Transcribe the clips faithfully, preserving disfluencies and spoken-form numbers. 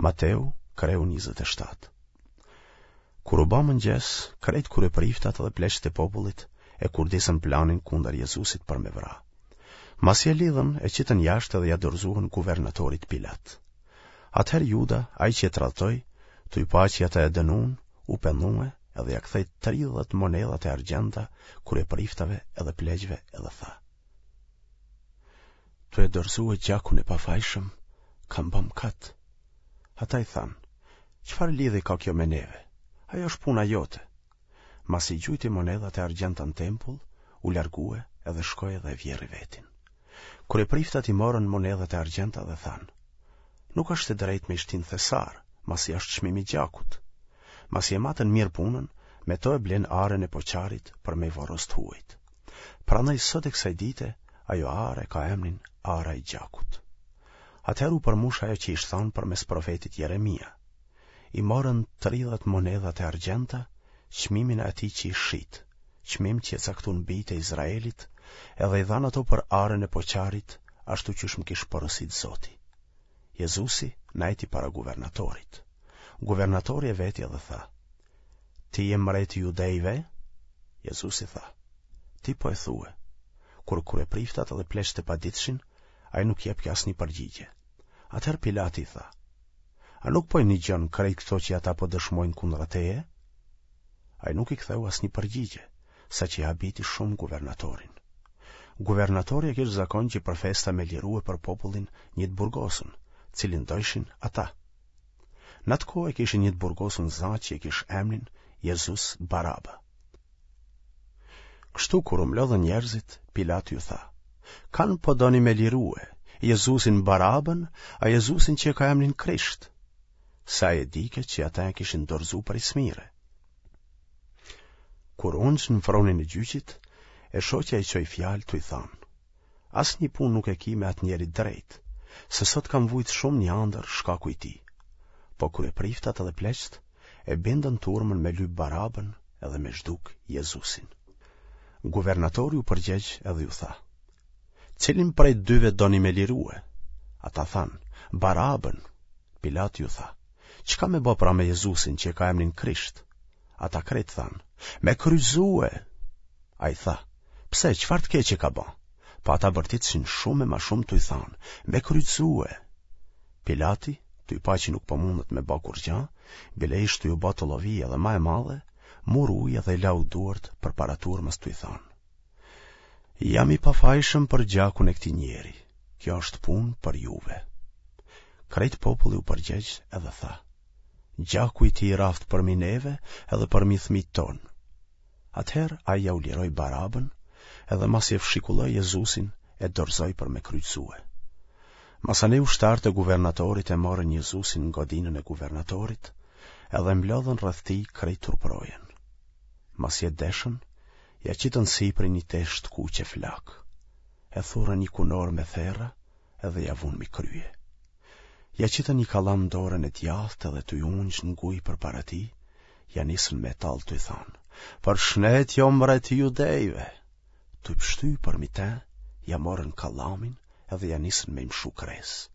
Mateu, kreu njëzet e shtatë. Kur u ba mëngjes, krejt kryepriftat dhe pleqtë e popullit e kurdisën planin kundër Jezusit për me vra. Masi e lidhën, e qitën jashtë dhe ia dorëzuan guvernatorit Pilat. Atëherë Juda, ai që e tradhtoi, tuj pa që ata e dënun, u pendue edhe ia kthej tridhjetë monedhat e argjendta kryepriftave edhe pleqve edhe tha: Tuj e dorëzue gjakun e pafajshëm, kam ba mëkat. Ata i thanë, çfarë lidhje ka kjo me neve? Ajo është puna jote. Masi gjujti monedhat e argjendta në tempull, u largue edhe shkoi edhe e vjerri vetin. Kryepriftat i morën monedhat e argjendta dhe thanë, nuk është e drejtë me i shti në thesar, masi është çmim i gjakut. Masi e matën mirë punën, me to e blenë arën e poçarit për me i vorros të huajt. Prandaj sot e kësaj dite, ajo arë e ka emrin Ara e Gjakut. Atëherë u përmush ajo që ish thanë përmes profetit Jeremia. I morën tridhjetë monedhat e argjendta, çmimin e atij që ish shit, çmim që e caktun bijtë e Izraelit, edhe i dhanë ato për arën e poçarit, ashtu qysh më kish porosit Zoti. Jezusi najti para guvernatorit. Guvernatori e veti edhe tha: Ti je mreti i judejve? Jezusi tha: Ti po e thue. Kur kryepriftat edhe pleqtë e paditshin, ai nuk jepke asnjë përgjigje. Atëherë Pilati i tha: A nuk po i nigjon krejt këto që ata po dëshmojnë kundra teje? Ai nuk i ktheu asnjë përgjigje, saqë e habiti shumë guvernatorin. Guvernatori e kish zakon që për festa me lirue për popullin një të burgosun, cilin dojshin ata. Në atë kohë e kishin një të burgosun za që e kish emrin Jezus Baraba. Kështu kur u mblodhën njerëzit, Pilati ju tha: Kan po doni me lirue, Jezusin Barabën, a Jezusin që e ka emrin Krisht? Se ai e dike që ata e kishin dorëzu prej smire. Kur u ungj në fronin e gjyqit, e shoqja i çoi fjalë tuj thanë: Asnjë punë nuk e ki me atë njeri të drejtë, se sot kam vujt shumë një andërr shkaku i tij. Po kryepriftat edhe pleqtë e bindën turmën me lyp Barabën edhe me zhduk Jezusin. Guvernatori u përgjegj edhe ju tha: Cilin prej dyve doni me lirue? Ata thanë: Barabën. Pilati ju tha: Çka me bo pra me Jezusin që e ka emrin Krisht? Ata krejt thanë: Me kryqëzue. Ai tha: Pse, çfarë të keqe ka ba? Po ata bërtitshin shumë e ma shumë tuj thanë: Me kryqëzue. Pilati, tuj pa që nuk po mundet me ba kurgja, bile ish tuj u ba tollovi edhe ma e madhe, mur ujë edhe i lau duart përpara turmës tuj thanë: Jam i pafajshëm për gjakun e këtij njeri, kjo është punë për juve. Krejt populli u përgjegj edhe tha: Gjaku i tij raftë përmi neve edhe përmi fëmijët tonë. Atëherë ai ja u liroi Barabën, edhe masi e fshikulloi Jezusin, e dorëzoi për me kryqëzue. Masanej ushtarët e guvernatorit e morën Jezusin në godinën e guvernatorit, edhe mblodhën rreth tij krejt truprojen. Masi e deshën, ja qitën sipër një teshë të kuqe flakë. E thurën një kunorë me therra edhe ja vunë mi krye. Ja qitën një kallam në dorën e djathtë edhe tuj u ungj në gujë përpara tij, ja nisën me tallë tuj thanë: Përshnetje o mbret i judejve! Tuj pshty përmi te, ja morën kallamin edhe ja nisën me i mshu kresë.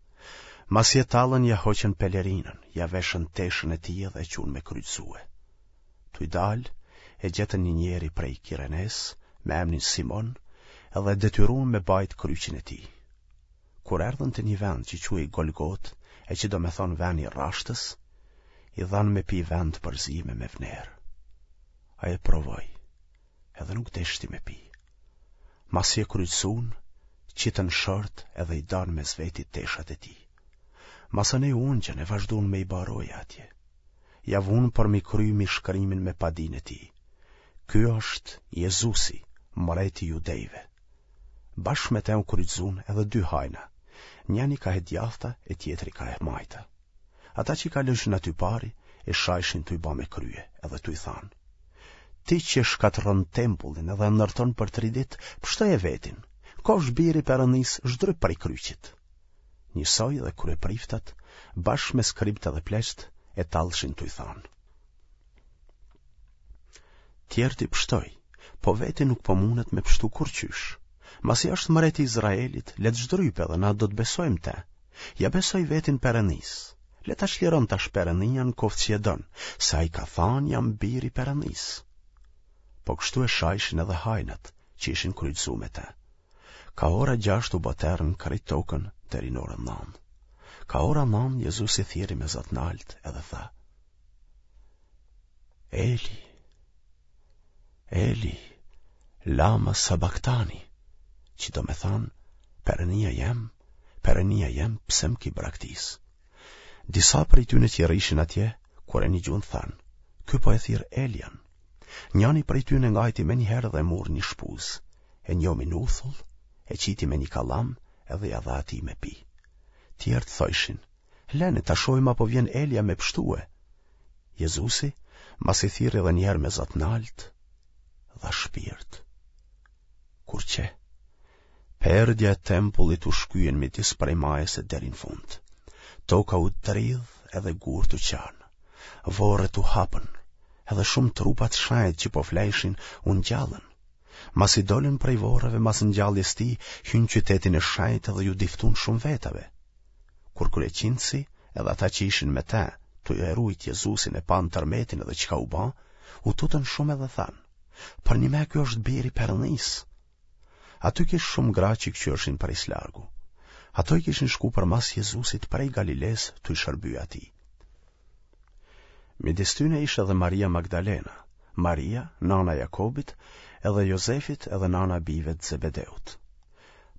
Masi e tallën ja hoqën pelerinën, ja veshën teshën e tij edhe e çunë me kryqëzue. Tuj dalë, e gjetën një njeri prej Kirenesë, me emnin Simon, edhe e detyrun me bajt kryqin e tij. Kur erdhën te një vend që quhej Golgotë, e që do me thonë veni i rrashtës, i dhanë me pi vend të përzime me vnerë. Ai e provoi, edhe nuk deshti me pi. Masi e kryqëzun, qitën short edhe i danë mes veti teshat e tij. Masanej u ungjën e vazhdun me i ba roje atje. Ja vunë përmi kry mbishkrimin me padinë e tij. Ky është Jezusi, mreti i judejve. Bashkë me te u kryqëzun edhe dy hajna, njani kah e djathta e tjetri kah e majta. Ata që kalojshin aty pari, e shajshin tuj ba me krye, edhe tuj thanë: Ti që shkatërron tempullin edhe e ndërton për tri ditë, pështoje vetin, kofsh biri i Perëndisë, zhdryp prej kryqit. Njësoj dhe kryepriftat, bashkë me skribët edhe pleqtë, e tallshin tuj thanë: Tjerët i pështoi, po veti nuk po mundet me pështu kurrqysh. Masi është mreti i Izraelit, le të zhdrypë edhe na do të besojmë te. Ja besoi vetin Perëndisë, Le ta çliron tash Perënia në koftë si e don, se ai ka thanë jam bir i Perënisë. Po kështu e shajshin edhe hajnat që ishin kryqëzu me te. Ka ora gjashtë u bë terr në krejt tokën deri në orën nëntë. Ka ora nëntë Jezusi thirri me zë të naltë edhe tha: Eli, Eli, lama sabaktani, që do me thanë, Perënia jem, Perënia jem, pse më ki braktis? Disa prej tyne që rrishin atje, kur e nigjun thanë, ky po e thirr Elian. Njani prej tyne ngajti menjëherë dhe mur një shpuzë, e njomi në uthull, e qiti me një kallam edhe ia dha atij me pi. Tjerët thojshin, lene ta shohim a po vjen Elia me pshtue. Jezusi, masi thirri edhe njëherë me zë të naltë, dha shpirt. Kur qe, perdja e tempullit u shkye n'midis prej majës e deri në fund. Toka u dridh edhe gurët u çanë. Vorret u hapën, edhe shumë trupa të shenjtë që po flejshin u ngjallën. Masi dolën prej vorreve mas ngjalljes tij, hynë qytetin e shenjtë dhe ju diftun shumë vetave. Kur kryeqindësi edhe ata që ishin me te, tu e rujt Jezusin e panë tërmetin edhe çka u ba, u tutën shumë edhe thanë, përnjëme ky është biri i Perënisë. Aty kish shumë gra që këqyrshin prej s'largu. Ato i kishin shku përmas Jezusit prej Galilesë tu i shërby atij. Midis tyne ishte edhe Maria Magdalena, Maria, nana e Jakobit, edhe Jozefit edhe nana e bijve të Zebedeut.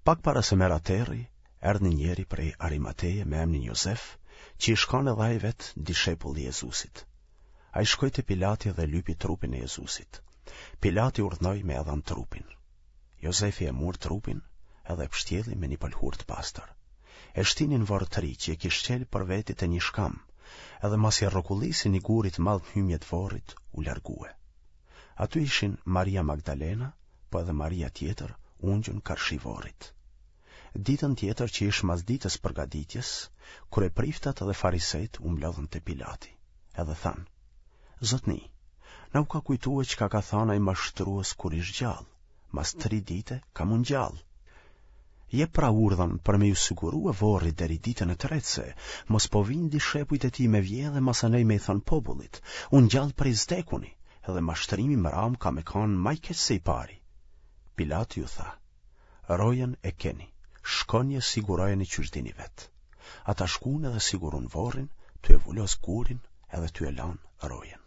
Pak para se me ra terri, erdh një njeri prej Arimateje me emnin Jozef, që ish kanë edhe ai vetë dishepull i Jezusit. Ai shkoi te Pilati dhe lypi trupin e Jezusit. Pilati urdhnoi me ia dhanë trupin. Jozefi e mur trupin edhe e pshtjelli me një pëlhurë të pastër. E shtini në vorr të ri që e kish çelë për veti te një shkam, edhe masi e rrokullisi një guri të madh në hymje të vorrit, u largue. Aty ishin Maria Magdalena, po edhe Maria tjetër, ungjun karshi vorrit. Ditën tjetër që ish mas ditës përgatitjes, kryepriftat dhe farisejt u mblodhën te Pilati, edhe thanë, Zotni, na u ka kujtue çka ka thanë ai mashtrues kur ish gjallë, mas tri dite ka m'u ngjallë. Jep pra urdhën për me ju sigurue vorri deri ditën e tretë se, mos po vijnë dishepujt e tij me vjedhë e masanej me i thanë popullit, u ngjall prej s'dekuni, edhe mashtrimi i mramë ka me kanë ma i keq se i pari. Pilati ju tha, rojën e keni, shkoni e sigurojeni qysh dini vetë. Ata shkun edhe sigurun vorrin, tu e vulos gurin edhe tu e lanë rojën.